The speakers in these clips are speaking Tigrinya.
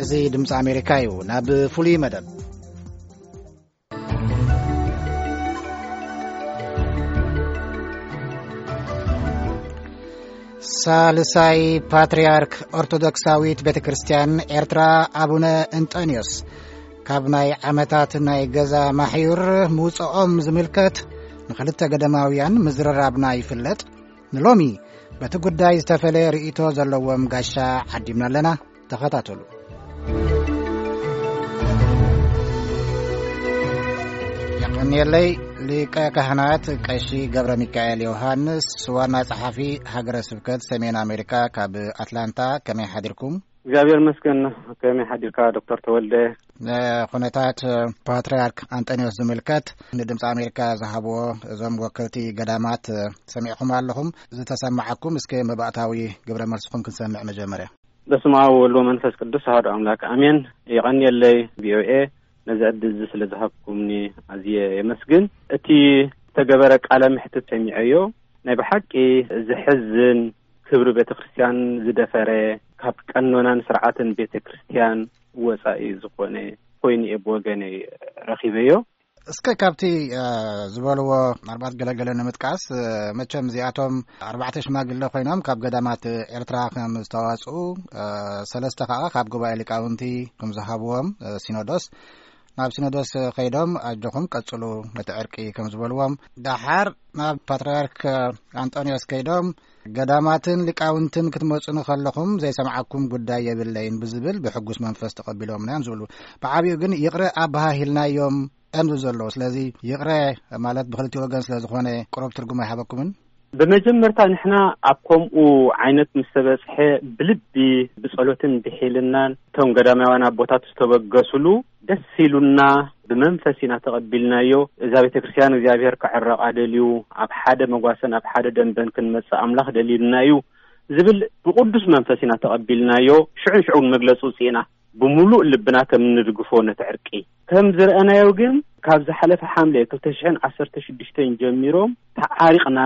እዚ ድምፂ ኣሜሪካ እዩ። ናብ ፍሉይ መደብ። ሳልሳይ ፓትርያርክ ኦርቶዶክሳዊት ቤተ ክርስቲያን ኤርትራ ኣቡነ እንጠንዮስ ካብ ናይ ዓመታት ናይ ገዛ ማሕዩር ምውፅኦም ዝምልከት ንኽልተ ገዳማውያን ምዝርራብና ይፍለጥ። ንሎሚ በቲ ጉዳይ ዝተፈለየ ርእይቶ ዘለዎም ጋሻ ዓዲምና ኣለና። ተኸታተሉ። የቐንየለይ። ሊቀ ካህናት ቀሺ ገብረ ሚካኤል ዮሃንስ፣ ዋና ጸሓፊ ሃገረ ስብከት ሰሜን ኣሜሪካ ካብ ኣትላንታ፣ ከመይ ሓዲርኩም? እግዚኣብሔር ይመስገን። ከመይ ሓዲርካ ዶክተር ተወልደ? ንኹነታት ፓትርያርክ ኣንጠንዮስ ዝምልከት ንድምፂ ኣሜሪካ ዝሃብዎ እዞም ወከልቲ ገዳማት ሰሚዕኹም ኣለኹም። ዝተሰማዓኩም እስከ መባእታዊ ግብረ መልስኹም ክንሰምዕ መጀመርያ። በስመ አብ ወወልድ ወመንፈስ ቅዱስ አሐዱ አምላክ አሜን። የቐንየለይ ቪኦኤ ነዚ ዕድል እዚ ስለ ዝሃብኩምኒ ኣዝየ የመስግን። እቲ ዝተገበረ ቃለ መሕትት ሰሚዐዮ። ናይ ብሓቂ ዘሕዝን፣ ክብሪ ቤተ ክርስቲያን ዝደፈረ፣ ካብ ቀኖናን ስርዓትን ቤተ ክርስቲያን ወጻኢ ዝኾነ ኮይኑ እየ ብወገነይ ረኺበዮ። እስከ ካብቲ፣ እ፣ ዝበልዎ ኣርባዕተ ገለገለ ንምጥቃስ፣ እ፣ መቸም እዚኣቶም ኣርባዕተ ሽማግለ ኮይኖም ካብ ገዳማት ኤርትራ ከም ዝተዋጽኡ፣ እ፣ ሰለስተ ከኣ ካብ ጉባኤ ሊቃውንቲ ከም ዝሃብዎም፣ እ፣ ሲኖዶስ ናብ ሲኖዶስ ከይዶም ኣጆኹም ቀጽሉ ነቲ ዕርቂ ከም ዝበልዎም፣ ደሓር ናብ ፓትርያርክ ኣንጦንዮስ ከይዶም ገዳማትን ሊቃውንትን ክትመጹኒ ከለኹም ዘይሰምዓኩም ጉዳይ የብለይን ብዝብል ብሕጉስ መንፈስ ተቐቢሎምና እዮም ዝብሉ። ብዓቢኡ ግን ይቕረ ኣበሃሂልናዮም እዮም ዝብሉ ዘለዉ። ስለዚ ይቕረ ማለት ብኽልቲኡ ወገን ስለ ዝኾነ ቁሩብ ትርጉም ኣይሃበኩምን? ብመጀመርታ ንሕና ኣብ ከምኡ ዓይነት ምስ ተበጽሐ ብልቢ ብጸሎትን ብሒልናን እቶም ገዳማውያን ኣቦታት ዝተበገሱሉ ደስ ኢሉና ብመንፈስ ኢና ተቐቢልናዮ። እዛ ቤተ ክርስቲያን እግዚኣብሔር ከዕረቓ ደልዩ፣ ኣብ ሓደ መጓሰን ኣብ ሓደ ደንበን ክንመጽእ ኣምላኽ ደልዩልና እዩ ዝብል ብቕዱስ መንፈስ ኢና ተቐቢልናዮ። ሽዑ ንሽዑ እውን መግለጺ ውጽእ ኢና። ብምሉእ ልብና ከም እንድግፎ ነቲ ዕርቂ። ከም ዝረኣናዮ ግን ካብ ዝሓለፈ ሓምለ ክልተ ሽሕን ዓሰርተ ሽዱሽተን ጀሚሮም ተዓሪቕና፣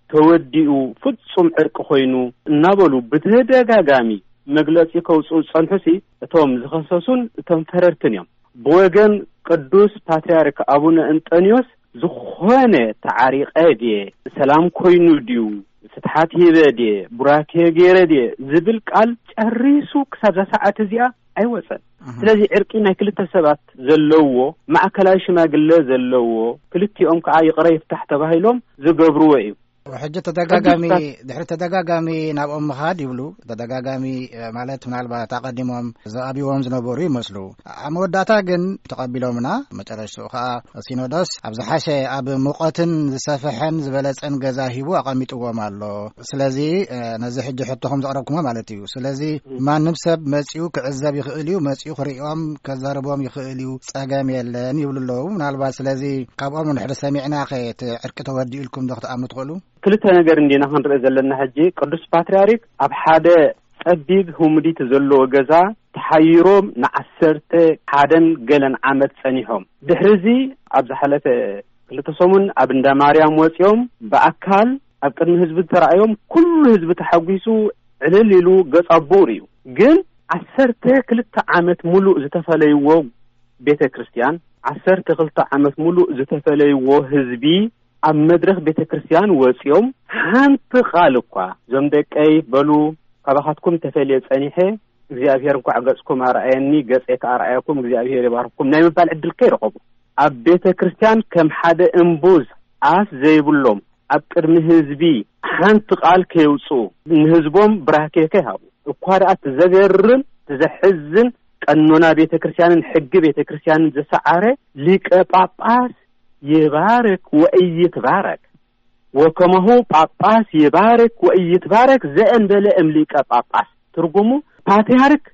ተወዲኡ፣ ፍጹም ዕርቂ ኮይኑ እናበሉ ብተደጋጋሚ መግለጺ ከውጽኡ ዝጸንሑሲ እቶም ዝኸሰሱን እቶም ፈረድትን እዮም። ብወገን ቅዱስ ፓትርያርክ ኣቡነ እንጠንዮስ ዝኾነ ተዓሪቐ ድየ፣ ሰላም ኮይኑ ድዩ፣ ፍትሓት ሂበ ድየ፣ ቡራኬ ገይረ ድየ ዝብል ቃል ጨሪሱ ክሳብ እዛ ሰዓት እዚኣ ኣይወጸን። እህ። ስለዚ ዕርቂ ናይ ክልተ ሰባት ዘለዎ፣ ማእከላዊ ሽማግለ ዘለዎ፣ ክልቲኦም ከኣ ይቕረ ይፍታሕ ተባሂሎም ዝገብርዎ እዩ። ሕጂ ተደጋጋሚ፣ ቅዱስ ፓት- ድሕሪ ተደጋጋሚ ናብኦም ምኻድ ይብሉ። ተደጋጋሚ፣ እ፣ ማለት ምናልባት ኣቐዲሞም ዝኣብይዎም ዝነበሩ ይመስሉ። ኣብ መወዳእታ ግን ተቐቢሎምና። መጨረሽትኡ ኸኣ ሲኖዶስ ኣብ ዝሓሸ፣ ኣብ ሙቐትን ዝሰፍሐን ዝበለጸን ገዛ ሂቡ ኣቐሚጥዎም ኣሎ። ስለዚ፣ እ፣ ነዚ ሕጂ ሕቶኹም ዘቕረብኩሞ ማለት እዩ። ስለዚ ም። ማንም ሰብ መጺኡ ክዕዘብ ይኽእል እዩ፣ መጺኡ ክርእዮም ከዛርቦም ይኽእል እዩ፣ ጸገም የለን ይብሉ ኣለዉ። ምናልባት ስለዚ ካብኦም ንድሕሪ ሰሚዕናኸ እቲ ዕርቂ ተወዲኡ ኢልኩም ዶ ክትኣምኑ ትኽእሉ? ክልተ ነገር እንዲና ክንርኢ ዘለና። ሕጂ ቅዱስ ፓትርያርክ ኣብ ሓደ ጸቢብ ህሙዲት ዘለዎ ገዛ ተሓይሮም ንዓሰርተ ሓደን ገለን ዓመት ጸኒሖም። ድሕሪ እዚ ኣብ ዝሓለፈ ክልተ ሰሙን ኣብ እንዳ ማርያም ወጺኦም ብኣካል ኣብ ቅድሚ ህዝቢ ተራእዮም፣ ኩሉ ህዝቢ ተሓጒሱ ዕልል ኢሉ ገጽ ኣቦኡ ርእዩ። ግን ዓሰርተ ክልተ ዓመት ሙሉእ ዝተፈለይዎ ቤተ ክርስቲያን፣ ዓሰርተ ክልተ ዓመት ሙሉእ ዝተፈለይዎ ህዝቢ ኣብ መድረኽ ቤተ ክርስቲያን ወጺኦም ሓንቲ ቃል እኳ፣ "እዞም ደቀይ በሉ፣ ካባኻትኩም ተፈልየ ጸኒሐ፣ እግዚኣብሔር እንኳዕ ገጽኩም ኣርኣየኒ፣ ገጸይ ከኣ ኣርኣየኩም፣ እግዚኣብሔር ይባርኽኩም" ናይ ምባል ዕድል ከይረኸቡ፣ ኣብ ቤተ ክርስቲያን ከም ሓደ እምቡዝ ኣፍ ዘይብሎም፣ ኣብ ቅድሚ ህዝቢ ሓንቲ ቃል ከየውጽኡ፣ ንህዝቦም ብራኬ ከይሃቡ፣ እኳ ደኣ እቲ ዘገርም፣ እቲ ዘሕዝን፣ ቀኖና ቤተ ክርስቲያንን ሕጊ ቤተ ክርስቲያንን ዝሰዓረ ሊቀ ጳጳስ ይባርክ ወኢይትባረክ፣ ወከማሁ ጳጳስ ይባርክ ወኢይትባረክ ዘእንበለ እም ሊቀ ጳጳስ። ትርጉሙ ፓትርያርክ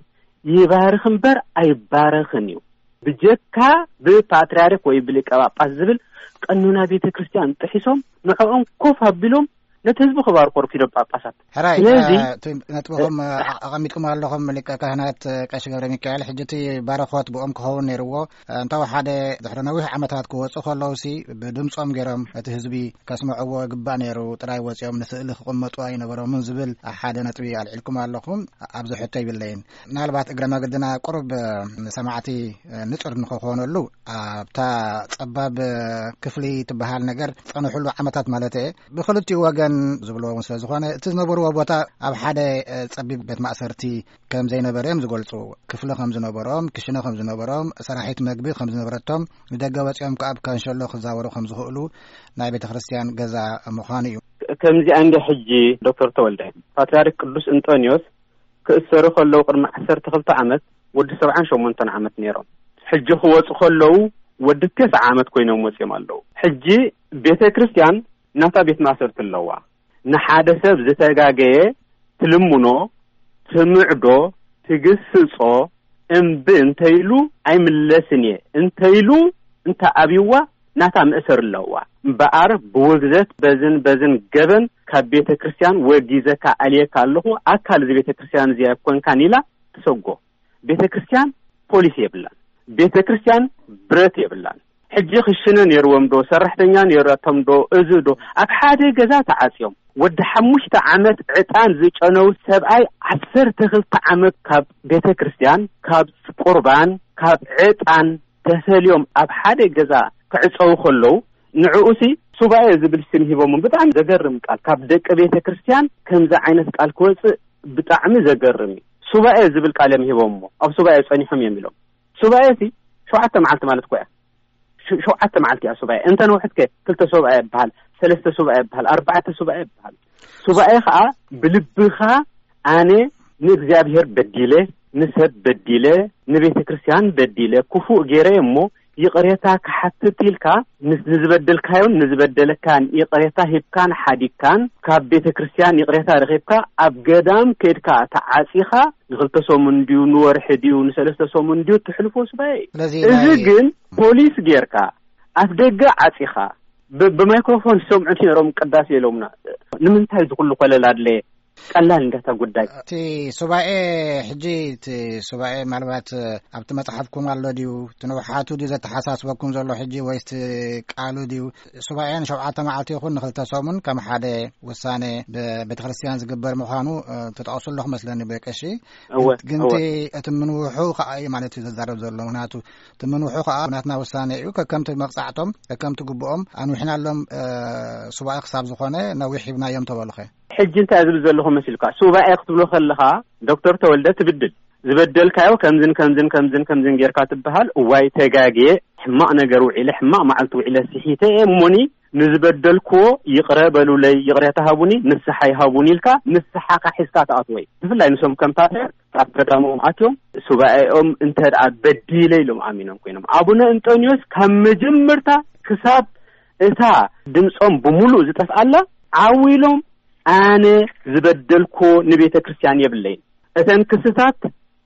ይባርኽ እምበር ኣይባረኽን እዩ። ብጀካ ብፓትርያርክ ወይ ብሊቀ ጳጳስ ዝብል ቀኖና ቤተ ክርስቲያን ጥሒሶም ንዕኦም ኮፍ ኣቢሎም ነቲ ህዝቢ ክባርኮ ርኪዶም ጳጳሳት። ሕራይ፣ ስለዚ እ፣ እቲ ነጥብኹም፣ እ፣ ኣ-፣ ኣቐሚጥኩም ኣለኹም፣ ሊቀ ካህናት፣ እ፣ ቀሺ ገብረ ሚካኤል። ሕጂ እቲ ባረኾት ብኦም ክኸውን ነይርዎ። እ፣ እንተወሓደ ድሕሪ ነዊሕ ዓመታት ክወጹ ከለውሲ፣ ብድምጾም ገይሮም እቲ ህዝቢ ከስምዕዎ ይግባእ ነይሩ፣ ጥራይ ወጺኦም ንስእሊ ክቕመጡ ኣይነበሮምን ዝብል ሓደ ነጥቢ ኣልዒልኩም ኣለኹም። ኣብዚ ሕቶ ይብለይን። ምናልባት እግረ መገድና ቁሩብ፣ እ፣ ንሰማዕቲ፣ እ፣ ንጹር ንክኾነሉ፣ ኣብታ ጸባብ፣ እ፣ ክፍሊ ትበሃል ነገር ጸንሕሉ ዓመታት ማለት እየ። ብኽልቲኡ ወገን ዝብልዎ እውን ስለ ዝኾነ፣ እቲ ዝነበርዎ ቦታ ኣብ ሓደ፣ እ፣ ጸቢብ ቤት ማእሰርቲ ከም ዘይነበረ እዮም ዝገልጹ። ክፍሊ ከም ዝነበሮም፣ ክሽነ ከም ዝነበሮም፣ ሰራሒት መግቢ ከም ዝነበረቶም፣ ንደገ ወጺኦም ከኣ ኣብ ካንሸሎ ክዛወሩ ከም ዝኽእሉ ናይ ቤተ ክርስቲያን ገዛ ምዃኑ እዩ። ከምዚኣ እንደ ሕጂ ዶክተር ተወልደ፣ ፓትርያርክ ቅዱስ እንጦንዮስ ክእሰሩ ከለዉ ቅድሚ ዓሰርተ ክልተ ዓመት ወዲ ሰብዓን ሸሞንተን ዓመት ነይሮም። ሕጂ ክወጹ ከለዉ ወዲ ተስዓ ዓመት ኮይኖም ወጺኦም ኣለዉ። ሕጂ ቤተ ክርስቲያን ናታ ቤት ማእሰርቲ ኣለዋ። ንሓደ ሰብ ዝተጋገየ ትልምኖ፣ ትምዕዶ፣ ትግስጾ፣ እምቢ እንተኢሉ ኣይምለስን እየ እንተኢሉ እንተ ኣብይዋ ናታ መእሰር ኣለዋ። እምበኣር ብውግዘት በዝን በዝን ገበን ካብ ቤተ ክርስቲያን ወጊዘካ ኣልየካ ኣለኹ፣ ኣካል እዚ ቤተ ክርስቲያን እዚ ኣይኮንካን ኢላ ትሰጎ። ቤተ ክርስቲያን ፖሊስ የብላን። ቤተ ክርስቲያን ብረት የብላን። ሕጂ ክሽነ ነይርዎም ዶ፣ ሰራሕተኛ ነይራቶም ዶ፣ እዚ ዶ፣ ኣብ ሓደ ገዛ ተዓጽዮም። ወዲ ሓሙሽተ ዓመት ዕጣን ዝጨነው ሰብኣይ ዓሰርተ ክልተ ዓመት ካብ ቤተ ክርስቲያን፣ ካብ ቁርባን፣ ካብ ዕጣን ተፈልዮም ኣብ ሓደ ገዛ ክዕጸው ከለዉ፣ ንዕኡሲ ሱባኤ ዝብል ስም ሂቦም። ብጣዕሚ ዘገርም ቃል፣ ካብ ደቂ ቤተ ክርስቲያን ከምዚ ዓይነት ቃል ክወጽእ ብጣዕሚ ዘገርም እዩ። ሱባኤ ዝብል ቃል እዮም ሂቦምዎ። ኣብ ሱባኤ ጸኒሖም እዮም ኢሎም። ሱባኤ ሲ ሸውዓተ መዓልቲ ማለት እኮ እያ። ሸ-፣ ሸውዓተ መዓልቲ እያ ሱባኤ። እንተ ነውሕት ከ ክልተ ሱባኤ ይበሃል፣ ሰለስተ ሱባኤ ይበሃል፣ ኣርባዕተ ሱባኤ ይበሃል። ሱባኤ ኸኣ ብልብኻ ኣነ ንእግዚኣብሔር በዲለ፣ ንሰብ በዲለ፣ ንቤተ ክርስቲያን በዲለ፣ ክፉእ ገይረ እሞ ይቕሬታ ክሓትት ኢልካ፣ ንስ-፣ ንዝበደልካዮን ንዝበደለካን ይቕሬታ ሂብካን ሓዲግካን፣ ካብ ቤተ ክርስቲያን ይቕሬታ ረኺብካ፣ ኣብ ገዳም ከድካ ተዓጺኻ፣ ንኽልተ ሰሙን ድዩ፣ ንወርሒ ድዩ፣ ንሰለስተ ሰሙን ድዩ፣ ትሕልፎ ሱባኤ እዩ። ስለዚ እዚ ናይ ግን ፖሊስ ጌርካ፣ ኣፍ ደገ ዓጺኻ፣ ብ-፣ ብማይክሮፎን ዝሰምዑ ነይሮም ቅዳሴ ኢሎምና። ንምንታይ እዚ ኩሉ ኮለል ኣድለየ? ቀላል እንዳታ ጉዳይ። እቲ ሱባኤ፣ ሕጂ እቲ ሱባኤ ምናልባት ኣብቲ መጽሓፍኩም ኣሎ ድዩ? እቲ ንውሓቱ ድዩ ዘተሓሳስበኩም ዘሎ ሕጂ ወይስ እቲ ቃሉ ድዩ? ሱባኤ ንሸውዓተ መዓልቲ ይኹን ንኽልተ ሰሙን ከም ሓደ ውሳኔ ብቤተ ክርስቲያን ዝግበር ምዃኑ፣ እ፣ ትጠቕሱ ኣለኹ መስለኒ ብቀሺ። እወ፣ ግን እወ። እቲ፣ እቲ ምንውሑ ከኣ እዩ ማለት እዩ ዘዛረብ ዘሎ። ምኽንያቱ እቲ ምንውሑ ከኣ ናትና ውሳኔ እዩ። ከከምቲ መቕጻዕቶም፣ ከከምቲ ግብኦም ኣንዊሕናሎም፣ እ፣ ሱባኤ ክሳብ ዝኾነ ነዊሕ ሂብናዮም ተበሉኸ? ሕጂ እንታይ ዝብል ዘለኹ መሲልካ? ሱባኤ ክትብሎ ከለኻ ዶክተር ተወልደ ትብድል። ዝበደልካዮ ከምዝን ከምዝን ከምዝን ከምዝን ጌርካ ትበሃል። እዋይ ተጋግየ፣ ሕማቕ ነገር ውዒለ፣ ሕማቕ መዓልቲ ውዒለ ስሒተ እየ እሞኒ ንዝበደልክዎ ይቕረ በሉለይ፣ ይቕሬታ ሃቡኒ፣ ንስሓ ይሃቡኒ ኢልካ ንስሓኻ ሒዝካ ትኣትዎ እዩ። ብፍላይ ንሶም ከም ፓትርያርክ ኣብ ገዳሞም ኣትዮም ሱባኤኦም እንተ ደኣ በዲለ ኢሎም ኣሚኖም ኮይኖም፣ ኣቡነ እንጦንዮስ ካብ መጀመርታ ክሳብ እታ ድምጾም ብምሉእ ዝጠፍኣላ ዓው ኢሎም ኣነ ዝበደልክዎ ንቤተ ክርስቲያን የብለይን። እተን ክስታት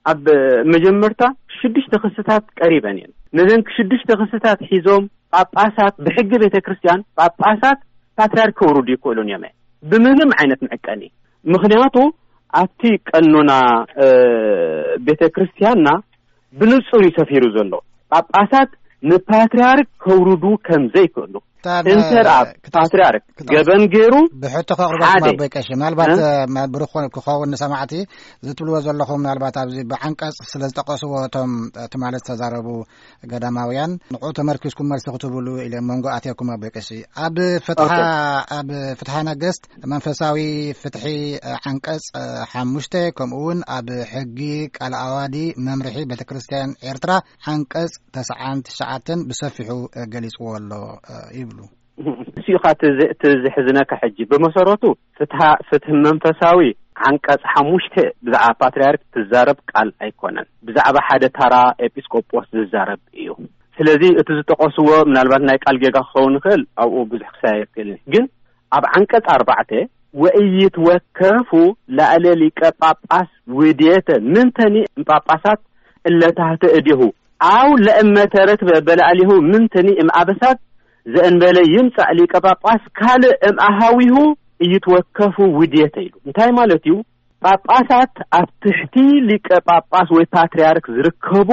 ኣብ መጀመርታ ሽዱሽተ ክስታት ቀሪበን እየን። ነዘን ሽዱሽተ ክስታት ሒዞም ጳጳሳት ብሕጊ ቤተ ክርስቲያን ጳጳሳት ፓትርያርክ ከውርዱ ይክእሉን እዮም ብምንም ዓይነት መዕቀኒ። ምኽንያቱ ኣብቲ ቀኖና፣ እ፣ ቤተ ክርስቲያንና ብንጹር እዩ ሰፊሩ ዘሎ። ጳጳሳት ንፓትርያርክ ከውርዱ ከም ዘይክእሉ። እታ ነ-፣ እንተ ደኣ ክተስ-፣ ፓትርያርክ ክተስ-፣ ገበን ገይሩ ብሕቶ ከቕርበልኩም ሓደ ኣቦይ ቀሺ፣ ምናልባት፣ እ? እ፣ መ-፣ ብሩኽ ክኸውን ንሰማዕቲ ዝትብልዎ ዘለኹም፣ ምናልባት ኣብዚ ብዓንቀጽ ስለ ዝጠቐስዎ እቶም፣ እ፣ ትማሊ ዝተዛረቡ ገዳማውያን፣ ንዕኡ ተመርኪስኩም መልሲ ክትብሉ ኢለ መንጎ ኣትየኩም ኣቦይ ቀሺ። ኣብ ፍትሓ፣ ኦኬ። ኣብ ፍትሓ ነገስት መንፈሳዊ ፍትሒ፣ እ፣ ዓንቀጽ፣ እ፣ ሓሙሽተ፣ ከምኡ እውን ኣብ ሕጊ ቃል ኣዋዲ መምርሒ ቤተ ክርስቲያን ኤርትራ ዓንቀጽ ተስዓን ትሽዓተን ብሰፊሑ፣ እ፣ ገሊጽዎ ኣሎ፣ እ፣ ይብሉ። እሱ ኢኻ እቲ ዝ-፣ እቲ ዝሕዝነካ ሕጂ። ብመሰረቱ ፍትሃ-፣ ፍትሒ መንፈሳዊ ዓንቀጽ ሓሙሽተ ብዛዕባ ፓትርያርክ ትዛረብ ቃል ኣይኮነን። ብዛዕባ ሓደ ታራ ኤጲስቆጶስ ዝዛረብ እዩ። ስለዚ እቲ ዝጠቐስዎ ምናልባት ናይ ቃል ጌጋ ክኸውን ይኽእል፣ ኣብኡ ብዙሕ ክሳየ ይኽእል። ግን ኣብ ዓንቀጽ ኣርባዕተ "ወኢይትወከፉ ላዕለ ሊቀ ጳጳስ ውዴተ ምንተኒ እምጳጳሳት እለ ታህተ እዴሁ፣ ኣው ለእመ ተረክበ በላዕሌሁ ምንተኒ እምኣበሳት ዘእንበለ ይምጻእ ሊቀ ጳጳስ ካልእ እምኣሃዊሁ እይትወከፉ ውዴተ ኢሉ። እንታይ ማለት እዩ? ጳጳሳት ኣብ ትሕቲ ሊቀ ጳጳስ ወይ ፓትርያርክ ዝርከቡ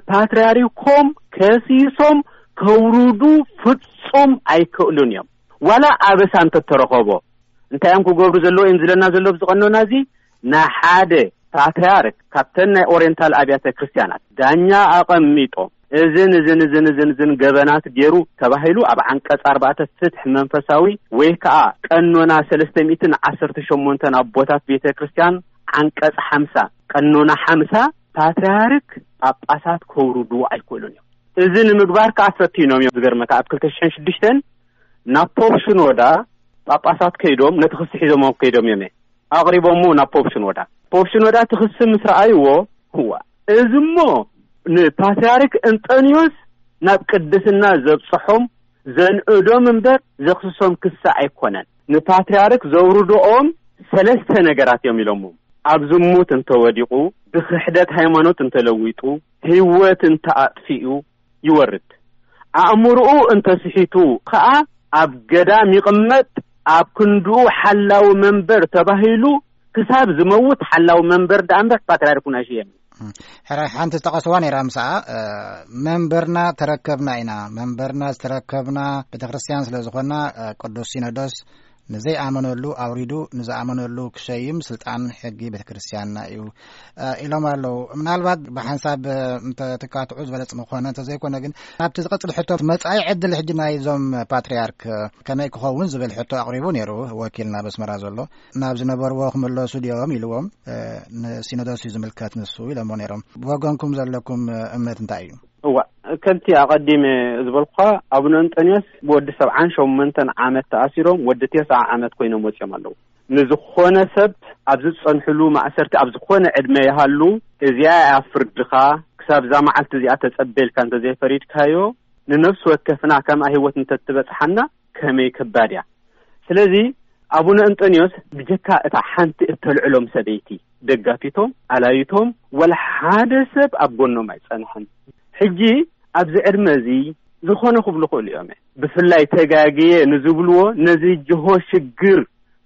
ንፓትርያርኮም ከሲሶም ከውርዱ ፍጹም ኣይክእሉን እዮም። ዋላ ኣበሳ እንተተረኸቦ እንታይ እዮም ክገብሩ ዘለዎ እዮም ዝለና ዘሎ ኣብዚ ቀኖና እዚ? ንሓደ ፓትርያርክ ካብተን ናይ ኦሪየንታል ኣብያተ ክርስቲያናት ዳኛ ኣቐሚጦም እዝን እዝን እዝን እዝን እዝን ገበናት ገይሩ ተባሂሉ ኣብ ዓንቀጽ ኣርባዕተ ፍትሕ መንፈሳዊ ወይ ከዓ ቀኖና ሰለስተ ሚእትን ዓሰርተ ሸሞንተን ኣቦታት ቤተ ክርስቲያን ዓንቀጽ ሓምሳ፣ ቀኖና ሓምሳ፣ ፓትርያርክ ጳጳሳት ከውርዱ ኣይክእሉን እዮም። እዚ ንምግባር ከዓ ፈቲኖም እዮም። ዝገርመካ ኣብ ክልተ ሽሕን ሽዱሽተን ናብ ፖፕ ሽኖዳ ጳጳሳት ከይዶም ነቲ ክሲ ሒዞም ከይዶም እዮም ኣቕሪቦሞ ናብ ፖፕ ሽኖዳ። ፖፕ ሽኖዳ እቲ ክሲ ምስ ረኣይዎ፣ እዋ፣ እዚ እሞ ንፓትርያርክ እንጠንዮስ ናብ ቅድስና ዘብጽሖም ዘንእዶም እምበር ዘኽስሶም ክሲ ኣይኮነን። ንፓትርያርክ ዘውርድኦም ሰለስተ ነገራት እዮም ኢሎሞም። ኣብ ዝሙት እንተወዲቑ፣ ብክሕደት ሃይማኖት እንተለዊጡ፣ ህይወት እንተኣጥፊኡ ይወርድ። ኣእምሮኡ እንተስሒቱ ከኣ ኣብ ገዳም ይቕመጥ፣ ኣብ ክንድኡ ሓላዊ መንበር ተባሂሉ ክሳብ ዝመውት ሓላዊ መንበር ደኣ እምበር ፓትርያርክ ኩናሽ የም። ሕራይ ሓንቲ ዝጠቐስዋ ነይራ ምሳኣ፣ እ፣ መንበርና ተረከብና ኢና። መንበርና ዝተረከብና ቤተክርስትያን ስለ ዝኾንና፣ እ፣ ቅዱስ ሲኖዶስ ንዘይኣመነሉ ኣውሪዱ ንዝኣመነሉ ክሸይም ስልጣን ሕጊ ቤተክርስትያንና እዩ፣ እ፣ ኢሎም ኣለዉ። ምናልባት ብሓንሳብ፣ እ፣ እንተ ትካትዑ ዝበለጽ ምኾነ፣ እንተዘይኮነ ግን ናብቲ ዝቐጽል ሕቶ መጻኢ ዕድል ሕጂ ናይዞም ፓትርያርክ፣ እ፣ ከመይ ክኸውን ዝብል ሕቶ ኣቕሪቡ ነይሩ ወኪልና በስመራ ዘሎ። ናብ ዝነበርዎ ክምለሱ ድዮም ኢልዎም፣ እ፣ ንሲኖዶስ እዩ ዝምልከት ንሱ ኢሎሞ ነይሮም። ብወገንኩም ዘለኩም፣ እ፣ እምነት እንታይ እዩ? እዋ፣ ከምቲ ኣቐዲመ ዝበልኩኻ፣ ኣቡነ እንጠንዮስ ብወዲ ሰብዓን ሸሞንተን ዓመት ተኣሲሮም ወዲ ተስዓ ዓመት ኮይኖም ወጺኦም ኣለዉ። ንዝኾነ ሰብ ኣብ ዝጸንሕሉ ማእሰርቲ ኣብ ዝኾነ ዕድመ ይሃሉ፣ እዚኣ እያ ፍርድኻ፣ ክሳብ እዛ መዓልቲ እዚኣ ተጸበ ኢልካ እንተዘይፈሪድካዮ፣ ንነፍሲ ወከፍና ከምኣ ህይወት እንተትበጽሓና ከመይ ከባድ እያ። ስለዚ ኣቡነ እንጠንዮስ ብጀካ እታ ሓንቲ እተልዕሎም ሰበይቲ ደጋፊቶም፣ ኣላይቶም፣ ወላ ሓደ ሰብ ኣብ ጎኖም ኣይጸንሐን። ሕጂ ኣብዚ ዕድመ እዚ ዝኾነ ክብሉ ክእሉ እዮም። ብፍላይ ተጋግየ ንዝብልዎ ነዚ ጅሆ ሽግር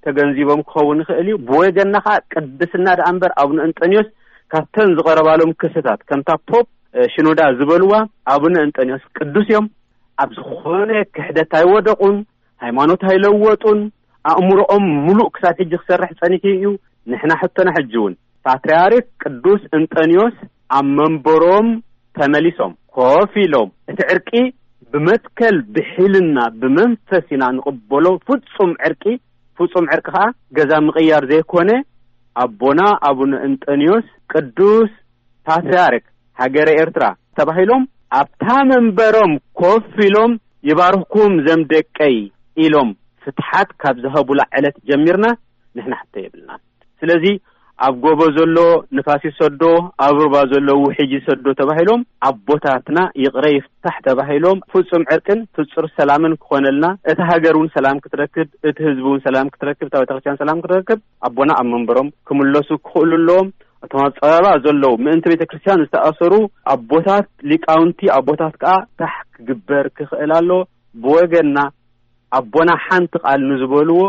ተገንዚቦም ክኸውን ይኽእል እዩ። ብወገንና ኸዓ ቅድስና ደኣ እምበር ኣቡነ እንጠንዮስ ካብተን ዝቐረባሎም ክስታት ከምታ ፖፕ፣ እ፣ ሽኖዳ ዝበልዋ ኣቡነ እንጠንዮስ ቅዱስ እዮም። ኣብ ዝኾነ ክሕደት ኣይወደቑን፣ ሃይማኖት ኣይለወጡን። ኣእምሮኦም ሙሉእ ክሳብ ሕጂ ክሰርሕ ጸኒሑ እዩ። ንሕና ሕቶና ሕጂ እውን ፓትርያርክ ቅዱስ እንጠንዮስ ኣብ መንበሮም ተመሊሶም ኮፍ ኢሎም እቲ ዕርቂ ብመትከል ብሒልና ብመንፈስ ኢና ንቕበሎ። ፍጹም ዕርቂ፣ ፍጹም ዕርቂ ኸዓ ገዛ ምቕያር ዘይኮነ ኣቦና ኣቡነ እንጠንዮስ ቅዱስ ፓትርያርክ ሃገረ ኤርትራ ተባሂሎም ኣብታ መንበሮም ኮፍ ኢሎም ይባርኽኩም ዘም ደቀይ ኢሎም ፍትሓት ካብ ዝሀቡላ ዕለት ጀሚርና ንሕና ሕቶ የብልናን። ስለዚ ኣብ ጎቦ ዘሎ ንፋስ ይሰዶ፣ ኣብ ሩባ ዘሎ ውሕጅ ይሰዶ ተባሂሎም ኣቦታትና ይቕረ ይፍታሕ ተባሂሎም ፍጹም ዕርቅን ፍጹር ሰላምን ክኾነልና፣ እታ ሃገር እውን ሰላም ክትረክብ፣ እቲ ህዝቢ እውን ሰላም ክትረክብ፣ እታ ቤተክርስትያን ሰላም ክትረክብ ኣቦና ኣብ መንበሮም ክምለሱ ክኽእሉ ኣለዎም። እቶም ኣብ ጸበባ ዘለዉ ምእንቲ ቤተክርስትያን ዝተኣሰሩ ኣቦታት ሊቃውንቲ ኣቦታት ከኣ ታሕ ክግበር ክኽእል ኣሎ። ብወገንና ኣቦና ሓንቲ ቃል ንዝበልዎ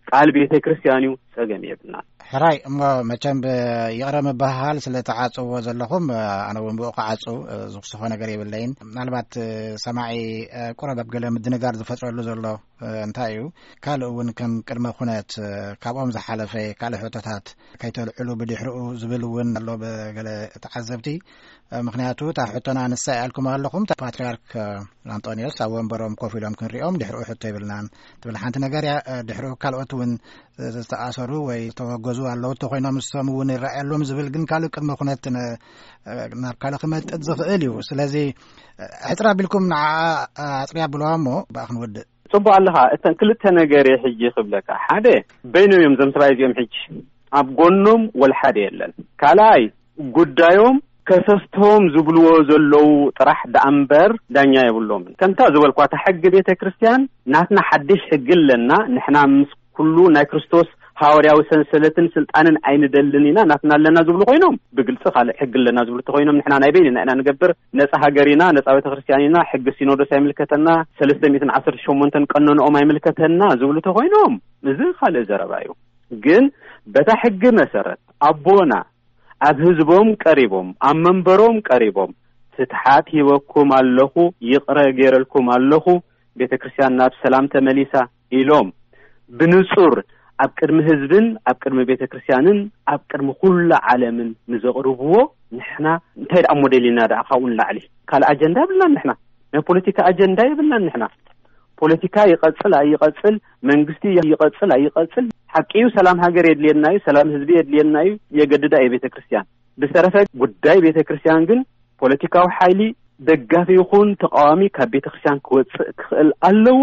ቃል ቤተ ክርስቲያን እዩ፣ ጸገም የብልናን። ሕራይ እሞ መቸም ብ-፣ ይቕረ ምብሃሃል ስለ ተዓጽዎ ዘለኹም፣ ኣነ እውን ብኡ ክዓጹ ዝኽስኾ ነገር የብለይን። ምናልባት ሰማዒ ቁረብ ኣብ ገለ ምድንጋር ዝፈጥረሉ ዘሎ እንታይ እዩ? ካልእ እውን ከም ቅድመ ኩነት ካብኦም ዝሓለፈ ካልእ ሕቶታት ከይተልዕሉ ብድሕሪኡ ዝብል እውን ኣሎ ብገለ ተዓዘብቲ። ምኽንያቱ እታ ሕቶና ንሳ ኢልኩም ኣለኹም፣ እታ ፓትርያርክ ኣንጦንዮስ ኣብ ወንበሮም ኮፍ ኢሎም ክንሪኦም ድሕሪኡ ሕቶ የብልናን ትብል ሓንቲ ነገር እያ። ድሕሪኡ ካልኦት እውን ዝተኣሰሩ ወይ ዝተወገዙ ኣለዉ እንተኾይኖም ንሶም እውን ይረኣየሎም ዝብል ግን ካልእ ቅድመ ኩነት ን-፣ ናብ ካልእ ክመጥጥ ዝኽእል እዩ። ስለዚ ሕጽር ኣቢልኩም ንዓ ኣጽርያ ብለዋ እሞ ብኣ ክንወድእ። ጽቡቕ ኣለኻ። እተን ክልተ ነገር እየ ሕጂ ክብለካ። ሓደ፣ በይኖም እዮም እዞም ሰብኣይ እዚኦም ሕጂ። ኣብ ጎኖም ወላ ሓደ የለን። ካልኣይ፣ ጉዳዮም ከሰስቶም ዝብልዎ ዘለዉ ጥራሕ ደኣ እምበር ዳኛ የብሎምን። ከምታ ዝበልኳ፣ እታ ሕጊ ቤተ ክርስቲያን ናትና ሓድሽ ሕጊ ኣለና። ንሕና ምስ ኩሉ ናይ ክርስቶስ ሃዋርያዊ ሰንሰለትን ስልጣንን ኣይንደልን ኢና፣ ናትና ኣለና ዝብሉ ኮይኖም፣ ብግልጺ ካልእ ሕጊ ኣለና ዝብሉ ተኮይኖም፣ ንሕና ናይ በይንና ኢና ንገብር፣ ነጻ ሃገር ኢና፣ ነጻ ቤተክርስትያን ኢና፣ ሕጊ ሲኖዶስ ኣይምልከተና፣ ሰለስተ ሚእትን ዓሰርተ ሸሞንተን ቀኖንኦም ኣይምልከተና ዝብሉ ተኮይኖም፣ እዚ ካልእ ዘረባ እዩ። ግን በታ ሕጊ መሰረት ኣቦና ኣብ ህዝቦም ቀሪቦም፣ ኣብ መንበሮም ቀሪቦም፣ ፍትሓት ሂበኩም ኣለኹ፣ ይቕረ ገይረልኩም ኣለኹ፣ ቤተክርስትያን ናብ ሰላም ተመሊሳ ኢሎም ብንጹር ኣብ ቅድሚ ህዝብን ኣብ ቅድሚ ቤተክርስትያንን ኣብ ቅድሚ ኩሉ ዓለምን ንዘቕርብዎ፣ ንሕና እንታይ ደኣ ሞዴል ኢና ደኣ ካብኡ ንላዕሊ? ካልእ ኣጀንዳ የብልናን ንሕና። ናይ ፖለቲካ ኣጀንዳ የብልናን ንሕና። ፖለቲካ ይቐጽል ኣይቐጽል፣ መንግስቲ ይቐጽል ኣይቐጽል፣ ሓቂ እዩ፣ ሰላም ሃገር የድልየና እዩ፣ ሰላም ህዝቢ የድልየና እዩ፣ የገድዳ እዩ ቤተክርስትያን። ብዝተረፈ ጉዳይ ቤተክርስትያን ግን ፖለቲካዊ ሓይሊ ደጋፊ ይኹን ተቃዋሚ ካብ ቤተክርስትያን ክወጽእ ክኽእል ኣለዎ።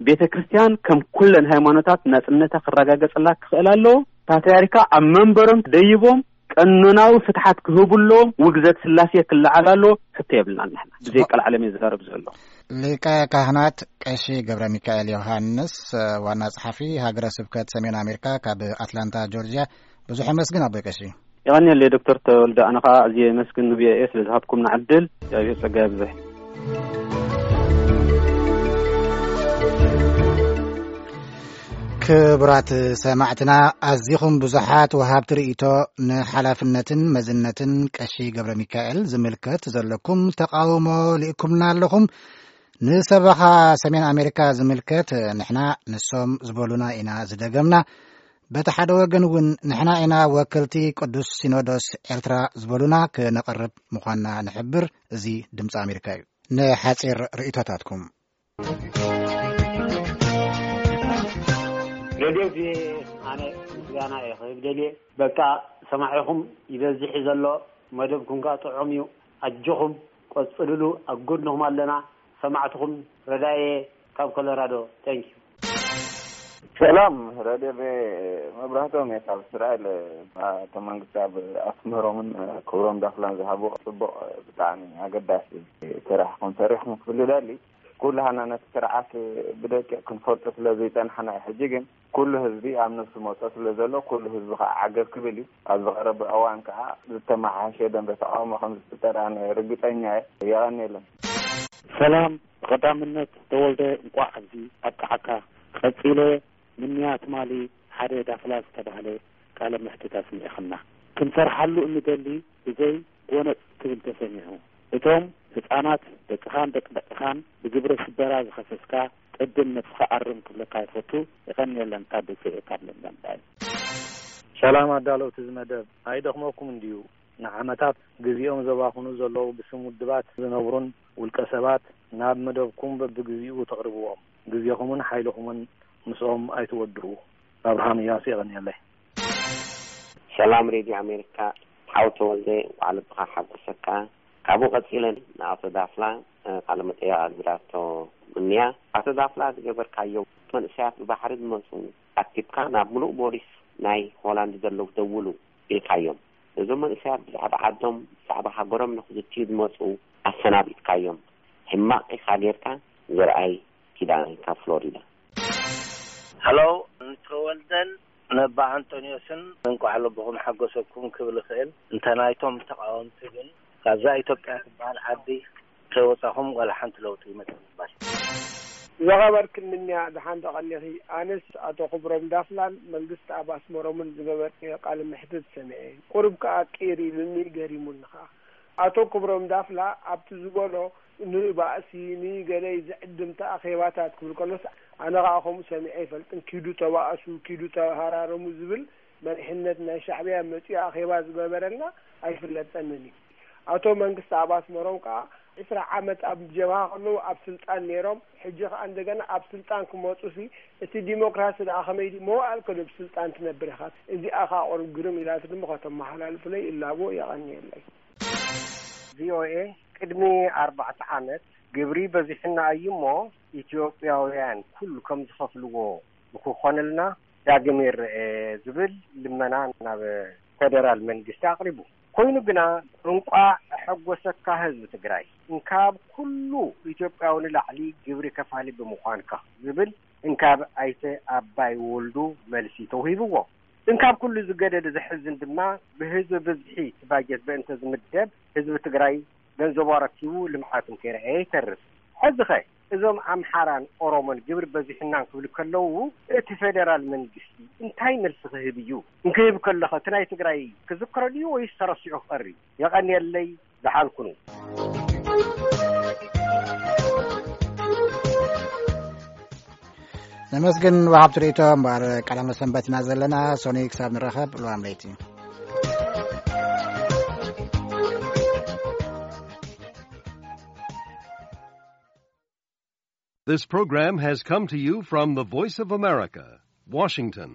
ቤተክርስትያን ከም ኩለን ሃይማኖታት ናጽነታ ክረጋገጽላ ክኽእል ኣለዎ። ፓትርያርካ ኣብ መንበሮም ደይቦም ቀኖናዊ ፍትሓት ክህቡ ኣለዎም። ውግዘት ስላሴ ክለዓል ኣለዎ። ሕቶ የብልናን ንሕና። ብዘይ ቀልዓለም እየ ዝዛረብ ዘሎ። ሊቀ ካህናት ቀሺ ገብረ ሚካኤል ዮሃንስ፣ ዋና ጸሓፊ ሃገረ ስብከት ሰሜን ኣሜሪካ ካብ ኣትላንታ ጆርጅያ፣ ብዙሕ ኣመስግን ኣቦይ ቀሺ። የቐንየለይ ዶክተር ተወልደ፣ ኣነ ኸዓ ኣዝየ የመስግን ንቪኦኤ ስለ ዝሃብኩምና ዕድል። እግዚኣብሔር ጸጋ የብዝሕ። ክቡራት ሰማዕትና፣ ኣዚኹም ብዙሓት ወሃብቲ ርእይቶ ንሓላፍነትን መዝነትን ቀሺ ገብረ ሚካኤል ዝምልከት ዘለኩም ተቃውሞ ልኢኩምና ኣለኹም። ንሰበኻ ሰሜን ኣሜሪካ ዝምልከት ንሕና ንሶም ዝበሉና ኢና ዝደገምና። በቲ ሓደ ወገን እውን ንሕና ኢና ወከልቲ ቅዱስ ሲኖዶስ ኤርትራ ዝበሉና ክነቕርብ ምዃንና ንሕብር። እዚ ድምፂ ኣሜሪካ እዩ። ንሓፂር ርእይቶታትኩም። ሬድዮ ቪኦኤ፣ ኣነ ምስጋና እየ ክህብ ደልየ። በቃ ሰማዒኹም ይበዝሕ እዩ ዘሎ፣ መደብኩም ከኣ ጥዑም እዩ። ኣጆኹም ቀጽልሉ፣ ኣብ ጎድንኹም ኣለና። ሰማዕትኹም ረዳየ ካብ ኮሎራዶ። Thank you። ሰላም ረድዮ ቪኦኤ፣ መብራህቶም እየ ካብ እስራኤል። ኣቶ መንግስቲ ኣብ ኣስመሮምን ክብሮም ዳፍላን ዝሃብዎ ጽቡቕ፣ ብጣዕሚ ኣገዳሲ ስራሕ ኢኹም ሰሪሕኩም ክብል እደሊ። ኩላህና ነቲ ስርዓት ብደቂቕ ክንፈልጦ ስለ ዘይጸናሕና እዩ። ሕጂ ግን ኩሉ ህዝቢ ኣብ ነብሱ መጾ ስለ ዘሎ፣ ኩሉ ህዝቢ ከኣ ዓገብ ክብል እዩ። ኣብ ዝቐረበ እዋን ከኣ ዝተመሓየሸ ደንበ ተቃውሞ ከም ዝፍጠር ኣነ ርግጸኛ እየ። የቐንየለይ። ሰላም፣ ብቐዳምነት ተወልደ እንቋዕ ኣብዚ ኣብቅዓካ። ቀጺለ ምንያ ትማሊ ሓደ ዳፍላ ዝተባህለ ቃለ መሕትት ኣስሚዕኽና። ክንሰርሓሉ እንደሊ ብዘይ ጎነጽ ክብል ተሰሚዑ። እቶም ህጻናት ደቅኻን ደቂ ደቅኻን ብግብረ ሽበራ ዝኸሰስካ ቅድም ነብስኻ ኣርም ክብለካ ይፈቱ። የቐንየለን ካብ ደሴ ካብ ለንደን ባይ። ሰላም ኣዳለውቲ እዚ መደብ፣ ኣይደኽመኩም እንድዩ ንዓመታት ግዜኦም ዘባኽኑ ዘለዉ ብስም ውድባት ዝነብሩን ውልቀ ሰባት ናብ መደብኩም በብግዜኡ ተቕርብዎም። ግዜኹምን ሓይልኹምን ምስኦም ኣይትወድኡ። ኣብርሃም እያሱ የቐንየለይ። ሰላም ሬድዮ ኣሜሪካ፣ ሓው ተወልደ እንቋዕ ልብኻ ሓጎሰካ። ካብኡ ቀጺለ ንኣቶ ዳፍላ ቃለ መጠይቕ ኣግቢራቶ ምንያ። ኣቶ ዳፍላ ዝገበርካዮ መንእሰያት ብባሕሪ ዝመጹ ኣኪብካ ናብ ምሉእ ቦሊስ ናይ ሆላንድ ዘለዉ ደውሉ ኢልካዮም። እዞም መንእሰያት ብዛዕባ ዓዶም ብዛዕባ ሃገሮም ንኽዝትዩ ዝመጹ ኣሰናቢትካዮም። ሕማቕ ኢኻ ጌርካ። ዘርኣይ ኪዳነ ካብ ፍሎሪዳ። ሀሎ፣ ንተወልደን ነባ ኣንቶንዮስን እንቋዕ ልብኹም ሓጎሰኩም ክብል እኽእል። እንተ ናይቶም ተቓወምቲ ግን ካብዛ ኢትዮጵያ ትበሃል ዓዲ ከይወጻኹም ዋላ ሓንቲ ለውጢ ይመጽእ ምባል። ዝኸበርክን ምንያ ደሓን ዶ ቀኒኺ? ኣነስ ኣቶ ክብሮም ዳፍላን መንግስቲ ኣብ ኣስመሮምን ዝገበርክዮ ቃለ መሕትት ሰሚዐ። ቁሩብ ከኣ ቅይር ኢሉኒ ገሪሙኒ ከኣ። ኣቶ ክብሮም ዳፍላ ኣብቲ ዝበሎ ንባእሲ ንገለ ዝዕድምቲ ኣኼባታት ክብል ከሎስ ኣነ ከኣ ከምኡ ሰሚዐ ኣይፈልጥን። ኪዱ ተባእሱ፣ ኪዱ ተሃራረሙ ዝብል መሪሕነት ናይ ሻዕብያ መጺኡ ኣኼባ ዝገበረልና ኣይፍለጠንን እዩ። ኣቶ መንግስቲ ኣብ ኣስመሮም ከኣ ዕስራ ዓመት ኣብ ጀብሃ ከለዉ ኣብ ስልጣን ነይሮም፣ ሕጂ ከኣ እንደገና ኣብ ስልጣን ክመጹሲ እቲ ዲሞክራሲ ደኣ ከመይ ድዩ መዋእልከ ዶ ብስልጣን ትነብር ኢኻ? እዚኣ ከኣ ቁሩብ ግርም ኢላትኒ እሞ ከተመሓላልፉለይ እላቦ። የቐንየለይ። ቪኦኤ ቅድሚ ኣርባዕተ ዓመት ግብሪ በዚሑና እዩ እሞ ኢትዮጵያውያን ኩሉ ከም ዝኸፍልዎ ንክኾነልና ዳግም ይረኤ ዝብል ልመና ናብ ፌደራል መንግስቲ ኣቕሪቡ። ኮይኑ ግና እንቋዕ ኣሐጎሰካ ህዝቢ ትግራይ፣ እንካብ ኩሉ ኢትዮጵያዊ ንላዕሊ ግብሪ ከፋሊ ብምዃንካ ዝብል እንካብ ኣይተ ኣባይ ወልዱ መልሲ ተውሂብዎ። እንካብ ኩሉ ዝገደደ ዘሕዝን ድማ ብህዝቢ ብዝሒ እቲ ባጀት በእንተ ዝምደብ ህዝቢ ትግራይ ገንዘቡ ኣረኪቡ ልምዓት እንከይረኣየ ይተርፍ። ሕዚ ኸ እዞም ኣምሓራን ኦሮሞን ግብሪ በዚሑናን ክብሉ ከለዉ እቲ ፌደራል መንግስቲ እንታይ መልሲ ክህብ እዩ? እንክህብ ከሎ ኸ እቲ ናይ ትግራይ ክዝከሮ ድዩ ወይስ ተረሲዑ ክቐሪ? የቐንየለይ። ዝሓልኩኑ ነመስግን። ወሃብቲ ርእቶ እምበኣር ቀዳመ ሰንበት ኢና ዘለና። ሶኒ ክሳብ ንራኸብ ልዋም ለይቲ። This program has come to you from the Voice of America, Washington.